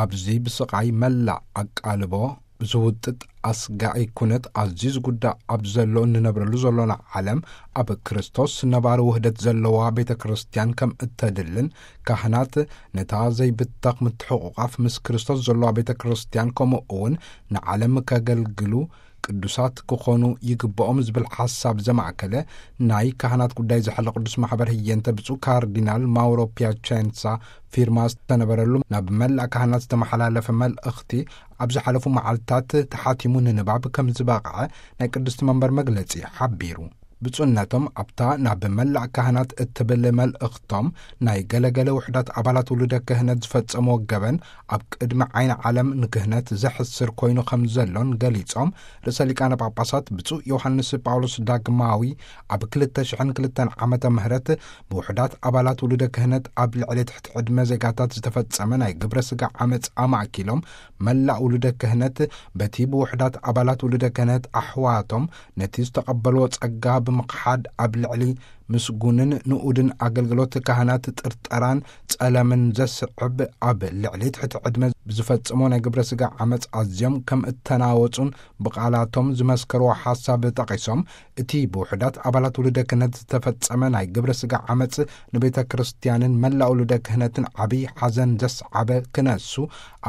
ኣብዚ ብስቓይ መላእ ኣቃልቦ ዝውጥጥ ኣስጋኢ ኩነት ኣዝዩ ዝጉዳእ ኣብ ዘሎ እንነብረሉ ዘሎና ዓለም፣ ኣብ ክርስቶስ ነባሪ ውህደት ዘለዋ ቤተ ክርስቲያን ከም እተድልን፣ ካህናት ነታ ዘይብተኽ ምትሕቑቓፍ ምስ ክርስቶስ ዘለዋ ቤተ ክርስቲያን፣ ከምኡ እውን ንዓለም ከገልግሉ ቅዱሳት ክኾኑ ይግብኦም ዝብል ሓሳብ ዘማእከለ ናይ ካህናት ጉዳይ ዝሓለ ቅዱስ ማሕበር ህየንተ ብፁዕ ካርዲናል ማውሮ ፒያቸንሳ ፊርማ ዝተነበረሉ ናብ መላእ ካህናት ዝተመሓላለፈ መልእኽቲ፣ ኣብ ዝሓለፉ መዓልታት ተሓቲሙ ንንባብ ከም ዝበቕዐ ናይ ቅድስቲ መንበር መግለጺ ሓቢሩ። ብፁዕነቶም ኣብታ ናብ መላእ ካህናት እትብል መልእኽቶም፣ ናይ ገለገለ ውሕዳት ኣባላት ውሉደ ክህነት ዝፈጸምዎ ገበን ኣብ ቅድሚ ዓይኒ ዓለም ንክህነት ዘሕስር ኮይኑ ከም ዘሎን ገሊጾም፣ ርእሰ ሊቃነ ጳጳሳት ብፁዕ ዮሃንስ ጳውሎስ ዳግማዊ ኣብ ክልተ ሽሕን ክልተን ዓመተ ምህረት ብውሕዳት ኣባላት ውሉደ ክህነት ኣብ ልዕሊ ትሕቲ ዕድመ ዜጋታት ዝተፈጸመ ናይ ግብረ ስጋ ዓመጽ ኣማእኪሎም፣ መላእ ውሉደ ክህነት በቲ ብውሕዳት ኣባላት ውሉደ ክህነት ኣሕዋቶም ነቲ ዝተቐበልዎ ጸጋ ብምኽሓድ፣ ኣብ ልዕሊ ምስጉንን ንኡድን ኣገልግሎት ካህናት ጥርጠራን ጸለምን ዘስዕብ፣ ኣብ ልዕሊ ትሕቲ ዕድመ ብዝፈጸሞ ናይ ግብረ ስጋ ዓመጽ ኣዝዮም ከም እተናወጹን ብቓላቶም ዝመስከርዎ ሓሳብ ጠቒሶም፣ እቲ ብውሕዳት ኣባላት ውሉደ ክህነት ዝተፈጸመ ናይ ግብረ ስጋ ዓመጽ ንቤተ ክርስቲያንን መላእ ውሉደ ክህነትን ዓብዪ ሓዘን ዘስዓበ ክነሱ፣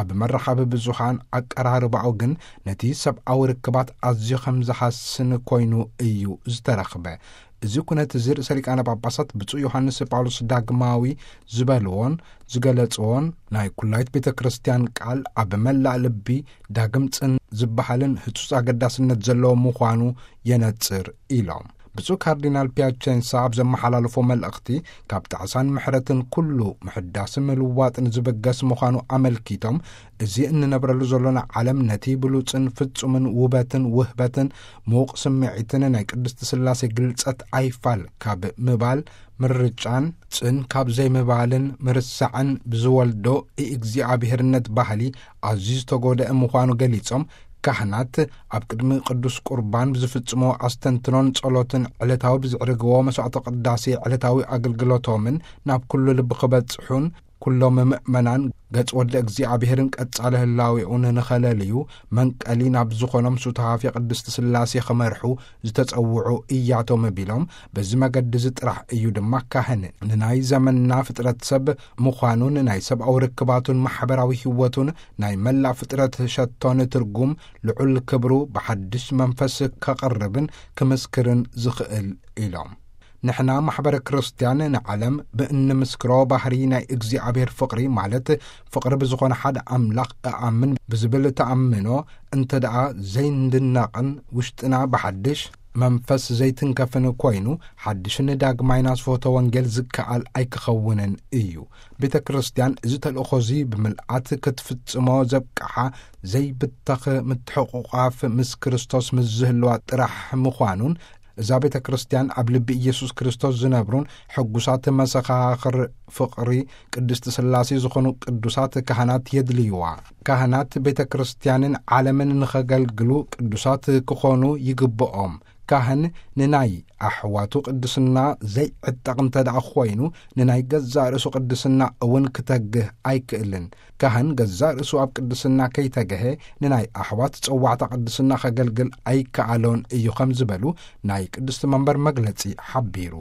ኣብ መራኸቢ ብዙሃን ኣቀራርባኡ ግን ነቲ ሰብኣዊ ርክባት ኣዝዩ ከም ዝሃስን ኮይኑ እዩ ዝተረኽበ። እዚ ኩነት እዚ ርእሰ ሊቃነ ጳጳሳት ብፁዕ ዮሃንስ ጳውሎስ ዳግማዊ ዝበልዎን ዝገለጽዎን፣ ናይ ኩላይት ቤተ ክርስቲያን ቃል ኣብ መላእ ልቢ ዳግም ጽን ዝበሃልን ህጹጽ ኣገዳስነት ዘለዎ ምዃኑ የነጽር ኢሎም። ብፁዕ ካርዲናል ፒያቸንሳ ኣብ ዘመሓላለፎ መልእኽቲ፣ ካብ ጣዕሳን ምሕረትን ኩሉ ምሕዳስን ምልዋጥን ዝብገስ ምዃኑ ኣመልኪቶም፣ እዚ እንነብረሉ ዘሎና ዓለም ነቲ ብሉጽን ፍጹምን ውበትን ውህበትን ምዉቕ ስምዒትን ናይ ቅድስቲ ስላሴ ግልጸት ኣይፋል ካብ ምባል፣ ምርጫን ጽን ካብ ዘይምባልን ምርሳዕን ብዝወልዶ ኢእግዚኣብሔርነት ባህሊ ኣዝዩ ዝተጎድአ ምዃኑ ገሊጾም፣ ካህናት ኣብ ቅድሚ ቅዱስ ቁርባን ብዝፍጽሞ ኣስተንትኖን ጸሎትን፣ ዕለታዊ ብዝዕርግዎ መስዋዕተ ቅዳሴ ዕለታዊ ኣገልግሎቶምን ናብ ኩሉ ልቢ ክበጽሑን፣ ኩሎም ምእመናን ገጽ ወልደ እግዚኣብሔርን ቀጻሊ ህላዌኡን ንኸለልዩ መንቀሊ ናብ ዝኾኖም ሱታፌ ቅድስቲ ስላሴ ክመርሑ ዝተጸውዑ እያቶም ቢሎም፣ በዚ መገዲ እዚ ጥራሕ እዩ ድማ ካህን ንናይ ዘመንና ፍጥረት ሰብ ምዃኑን ናይ ሰብኣዊ ርክባቱን ማሕበራዊ ህይወቱን ናይ መላእ ፍጥረት ሸቶን ትርጉም ልዑል ክብሩ ብሓድሽ መንፈስ ከቕርብን ክምስክርን ዝኽእል ኢሎም። ንሕና ማሕበረ ክርስትያን ንዓለም ብእንምስክሮ ባህሪ ናይ እግዚኣብሔር ፍቕሪ፣ ማለት ፍቕሪ ብዝኾነ ሓደ ኣምላኽ እኣምን ብዝብል ተኣምኖ እንተ ደኣ ዘይንድነቕን ውሽጥና ብሓድሽ መንፈስ ዘይትንከፍን ኮይኑ፣ ሓድሽን ዳግማይ ናስፎተ ወንጌል ዝከኣል ኣይክኸውንን እዩ። ቤተ ክርስትያን እዚ ተልእኾ እዚ ብምልኣት ክትፍጽሞ ዘብቅዓ ዘይብተኽ ምትሕቑቓፍ ምስ ክርስቶስ ምስ ዝህልዋ ጥራሕ ምዃኑን፣ እዛ ቤተ ክርስትያን ኣብ ልቢ ኢየሱስ ክርስቶስ ዝነብሩን ሕጉሳት መሰኻኽር ፍቕሪ ቅድስቲ ስላሴ ዝኾኑ ቅዱሳት ካህናት የድልይዋ። ካህናት ቤተ ክርስትያንን ዓለምን ንኸገልግሉ ቅዱሳት ክኾኑ ይግብኦም። ካህን ንናይ ኣሕዋቱ ቅድስና ዘይዕጠቕ እንተ ደኣ ኾይኑ፣ ንናይ ገዛእ ርእሱ ቅድስና እውን ክተግህ ኣይክእልን። ካህን ገዛእ ርእሱ ኣብ ቅድስና ከይተገሀ፣ ንናይ ኣሕዋት ጸዋዕታ ቅድስና ከገልግል ኣይከኣሎን እዩ ከም ዝበሉ ናይ ቅድስቲ መንበር መግለጺ ሓቢሩ።